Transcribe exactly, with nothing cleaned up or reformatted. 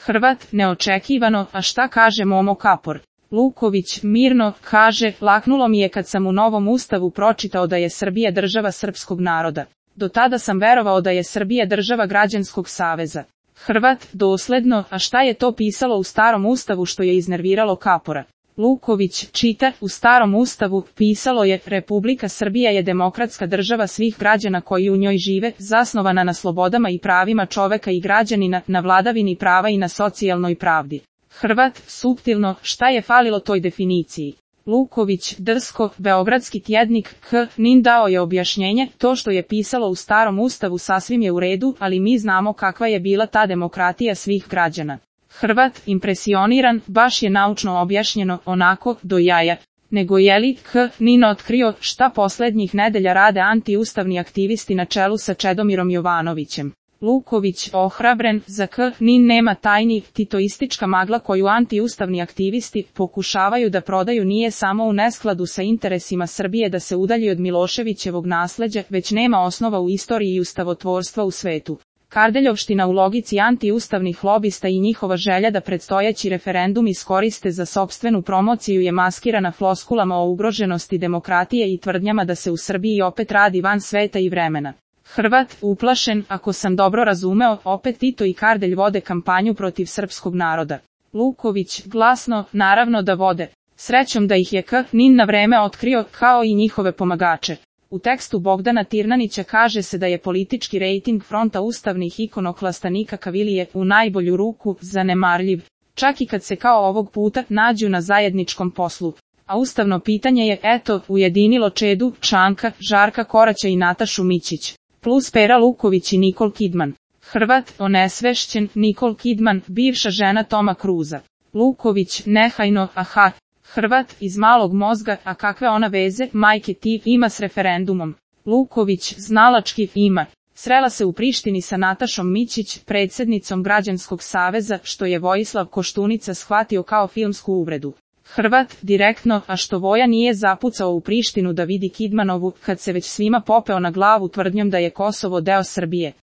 Hrvat, neočekivano, a šta kaže Momo Kapor? Luković, mirno, kaže, laknulo mi je kad sam u novom ustavu pročitao da je Srbija država srpskog naroda. Do tada sam verovao da je Srbija država građanskog saveza. Hrvat, dosledno, a šta je to pisalo u starom ustavu što je iznerviralo Kapora? Luković, čita, u starom ustavu pisalo je, Republika Srbija je demokratska država svih građana koji u njoj žive, zasnovana na slobodama i pravima čoveka i građanina, na vladavini prava i na socijalnoj pravdi. Hrvat, suptilno, šta je falilo toj definiciji? Luković, drsko, Beogradski tjednik, K. Nin dao je objašnjenje, to što je pisalo u starom ustavu sasvim je u redu, ali mi znamo kakva je bila ta demokratija svih građana. Hrvat, impresioniran, baš je naučno objašnjeno, onako, do jaja. Nego je li K. Nin otkrio šta poslednjih nedelja rade antiustavni aktivisti na čelu sa Čedomirom Jovanovićem? Luković, ohrabren, za K. Nin nema tajni, titoistička magla koju antiustavni aktivisti pokušavaju da prodaju nije samo u neskladu sa interesima Srbije da se udalji od Miloševićevog nasleđa, već nema osnova u istoriji i ustavotvorstva u svetu. Kardeljovština u logici antiustavnih lobista i njihova želja da predstojeći referendum iskoriste za sopstvenu promociju je maskirana floskulama o ugroženosti demokratije i tvrdnjama da se u Srbiji opet radi van sveta i vremena. Hrvat, uplašen, ako sam dobro razumeo, opet Tito i Kardelj vode kampanju protiv srpskog naroda. Luković, glasno, naravno da vode. Srećom da ih je K. Nin na vreme otkrio, kao i njihove pomagače. U tekstu Bogdana Tirnanića kaže se da je politički rejting fronta ustavnih ikonoklasta Nika Kavilije u najbolju ruku zanemarljiv, čak i kad se kao ovog puta nađu na zajedničkom poslu. A ustavno pitanje je, eto, ujedinilo Čedu, Čanka, Žarka Koraća i Natašu Mićić. Plus Pera Luković i Nikol Kidman. Hrvat, onesvešćen, Nikol Kidman, bivša žena Toma Kruza. Luković, nehajno, aha. Hrvat, iz malog mozga, a kakve ona veze, majke ti, ima s referendumom? Luković, znalački, ima. Srela se u Prištini sa Natašom Mićić, predsjednicom Građanskog saveza, što je Vojislav Koštunica shvatio kao filmsku uvredu. Hrvat, direktno, a što Voja nije zapucao u Prištinu da vidi Kidmanovu, kad se već svima popeo na glavu tvrdnjom da je Kosovo deo Srbije.